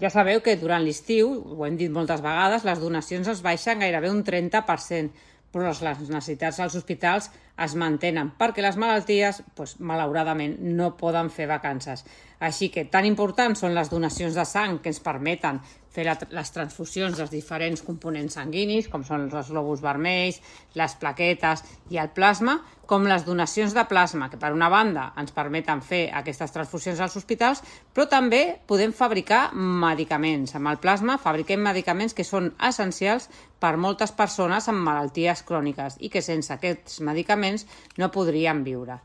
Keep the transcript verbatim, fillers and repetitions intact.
Ja sabeu que durant l'estiu, ho hem dit moltes vegades, les donacions es baixen gairebé un trenta per cent, però les necessitats als hospitals es mantenen perquè les malalties, doncs, malauradament, no poden fer vacances. Així que tan importants són les donacions de sang que ens permeten fer la, les transfusions dels diferents components sanguinis, com són els glòbuls vermells, les plaquetes i el plasma, com les donacions de plasma, que per una banda ens permeten fer aquestes transfusions als hospitals, però també podem fabricar medicaments. Amb el plasma fabriquem medicaments que són essencials per moltes persones amb malalties cròniques i que sense aquests medicaments no podrien viure.